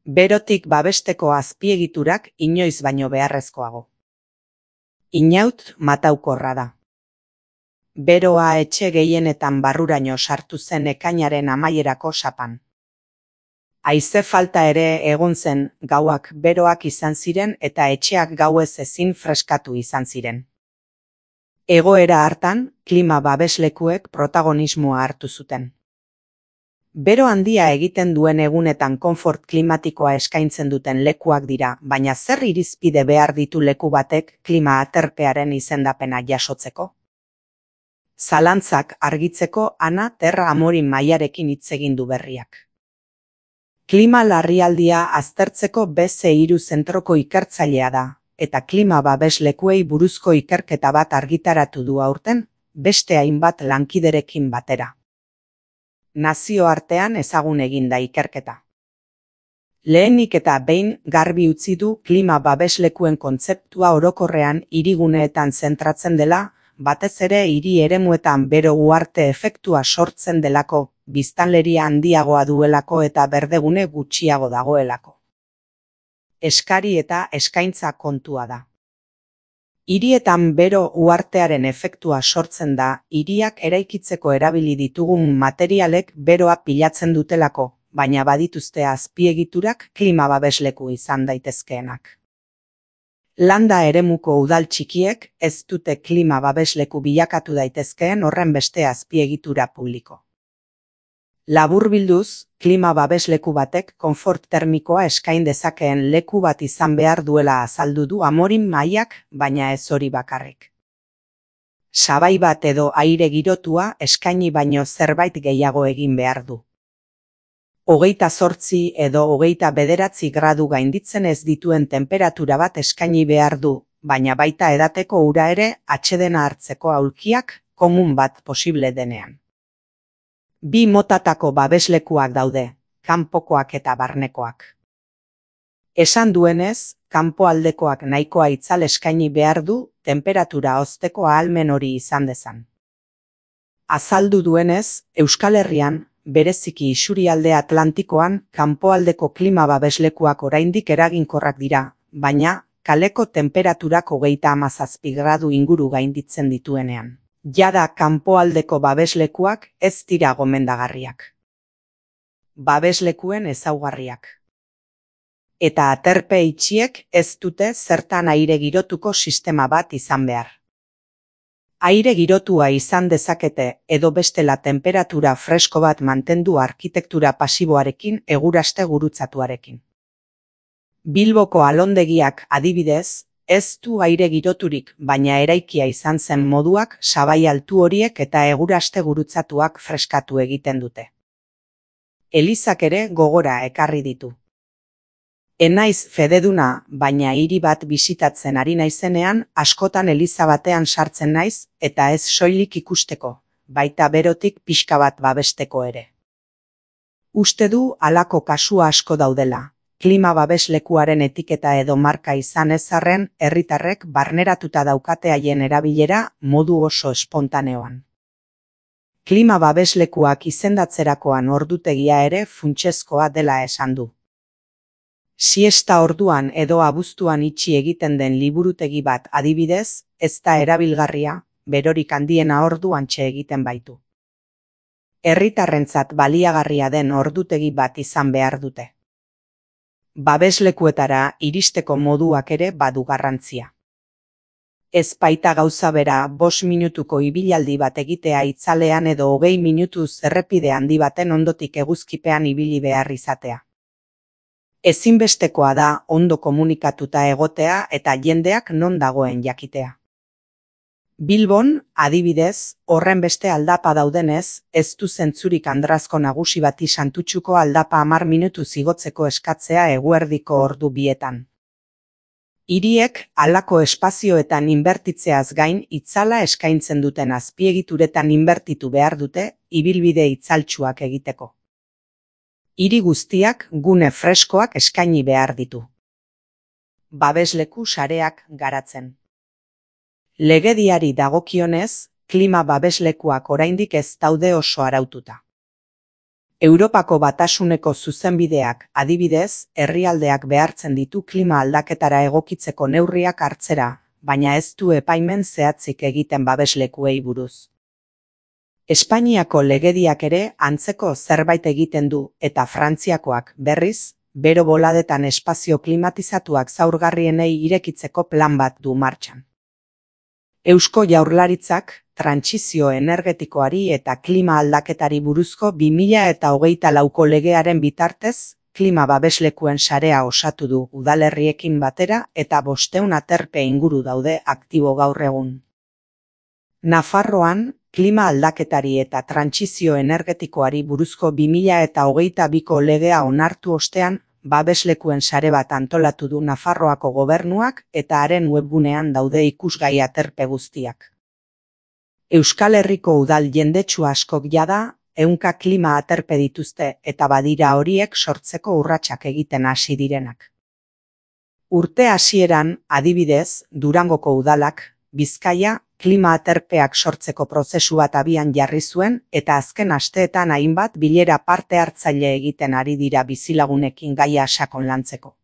Berotik babesteko azpiegiturak inoiz baino beharrezkoago. Inaut mataukorra da. Beroa etxe gehienetan barruraino sartu zen ekainaren amaierako sapan. Haize falta ere egon zen, gauak beroak izan ziren eta etxeak gauez ezin freskatu izan ziren. Egoera hartan, klima babeslekuek protagonismoa hartu zuten. Bero handia egiten duen egunetan konfort klimatikoa eskaintzen duten lekuak dira, baina zer irizpide behar ditu leku batek klima aterpearen izendapena jasotzeko? Zalantzak argitzeko Ana Terra Amorin Maiarekin hitz egin du berriak. Klima larrialdia aztertzeko BC3 zentroko ikertzailea da, eta klima babeslekuei buruzko ikerketa bat argitaratu du aurten, beste hainbat lankiderekin batera. Nazioartean ezagun egin da ikerketa. Lehenik eta behin garbi utzi du klima babeslekuen kontzeptua orokorrean hiriguneetan zentratzen dela, batez ere hiri eremuetan bero uharte efektua sortzen delako, biztanleria handiagoa duelako eta berdegune gutxiago dagoelako. Eskari eta eskaintza kontua da. Hirietan bero uhartearen efektua sortzen da, hiriak eraikitzeko erabili ditugun materialek beroa pilatzen dutelako, baina badituzte azpiegiturak klima babesleku izan daitezkeenak. Landa eremuko udal txikiek ez dute klima babesleku bilakatu daitezkeen horren beste azpiegitura publiko. Laburbilduz, klima babesleku batek konfort termikoa eskain dezakeen leku bat izan behar duela azaldu du Amorin Maiak, baina ez hori bakarrik. Sabai bat edo aire girotua eskaini baino zerbait gehiago egin behar du. 28 edo 29 gradu gainditzen ez dituen tenperatura bat eskaini behar du, baina baita edateko ura ere atsedena hartzeko aulkiak komun bat posible denean. Bi motatako babeslekuak daude, kanpokoak eta barnekoak. Esan duenez, kanpoaldekoak nahikoa itzal eskaini behar du tenperatura hozteko ahalmen hori izan dezan. Azaldu duenez, Euskal Herrian, bereziki isurialde Atlantikoan, kanpoaldeko klima babeslekuak oraindik eraginkorrak dira, baina kaleko temperaturak 37 gradu inguru gainditzen dituenean. Jada kanpoaldeko babeslekuak ez dira gomendagarriak. Babeslekuen ezaugarriak. Eta aterpe itxiek ez dute zertan aire girotuko sistema bat izan behar. Aire girotua izan dezakete edo bestela temperatura fresko bat mantendu arkitektura pasiboarekin eguraste gurutzatuarekin. Bilboko alondegiak adibidez, ez du aire giroturik, baina eraikia izan zen moduak sabai altu horiek eta eguraste gurutzatuak freskatu egiten dute. Elizak ere gogora ekarri ditu. Enaiz fededuna, baina hiri bat bisitatzen ari naizenean, askotan eliza batean sartzen naiz, eta ez soilik ikusteko, baita berotik pixka bat babesteko ere. Uste du halako kasu asko daudela. Klima babeslekuaren etiketa edo marka izan ez arren, herritarrek barneratuta daukate haien erabilera modu oso espontaneoan. Klima babeslekuak izendatzerakoan ordutegia ere funtsezkoa dela esan du. Siesta orduan edo abuztuan itxi egiten den liburutegi bat adibidez, ez da erabilgarria, berorik handiena orduantxe egiten baitu. Herritarrentzat baliagarria den ordutegi bat izan behar dute. Babeslekuetara iristeko moduak ere badu garrantzia. Ez baita gauza bera 5 minutuko ibilaldi bat egitea itzalean edo 20 minutuz errepide handi baten ondotik eguzkipean ibili behar izatea. Ezinbestekoa da ondo komunikatuta egotea eta jendeak non dagoen jakitea. Bilbon, adibidez, horren beste aldapa daudenez, ez du zentzurik Andrazko nagusi bati Santutxuko aldapa 10 minutu igotzeko eskatzea eguerdiko ordu bietan. Hiriek halako espazioetan inbertitzeaz gain itzala eskaintzen duten azpiegituretan inbertitu behar dute ibilbide itzaltsuak egiteko. Hiri guztiak gune freskoak eskaini behar ditu. Babesleku sareak garatzen. Legediari dagokionez, klima babeslekuak oraindik ez daude oso araututa. Europako Batasuneko zuzenbideak, adibidez, herrialdeak behartzen ditu klima aldaketara egokitzeko neurriak hartzera, baina ez du epaimen zehatzik egiten babeslekuei buruz. Espainiako legediak ere antzeko zerbait egiten du eta Frantziakoak, berriz, bero boladetan espazio klimatizatuak zaurgarrienei irekitzeko plan bat du martxan. Eusko Jaurlaritzak, trantsizio energetikoari eta klima aldaketari buruzko 2024ko legearen bitartez, klima babeslekuen sarea osatu du udalerriekin batera eta 500 aterpe inguru daude aktibo gaur egun. Nafarroan, klima aldaketari eta trantsizio energetikoari buruzko 2022ko legea onartu ostean, babeslekuen sare bat antolatu du Nafarroako gobernuak eta haren webgunean daude ikusgai aterpe guztiak. Euskal Herriko udal jendetsu askok jada, 100 klima aterpe dituzte eta badira horiek sortzeko urratsak egiten hasi direnak. Urte hasieran, adibidez, Durangoko udalak, Bizkaia, klima aterpeak sortzeko prozesu bat abian jarri zuen eta azken asteetan hainbat bilera parte hartzaile egiten ari dira bizilagunekin gaia sakon lantzeko.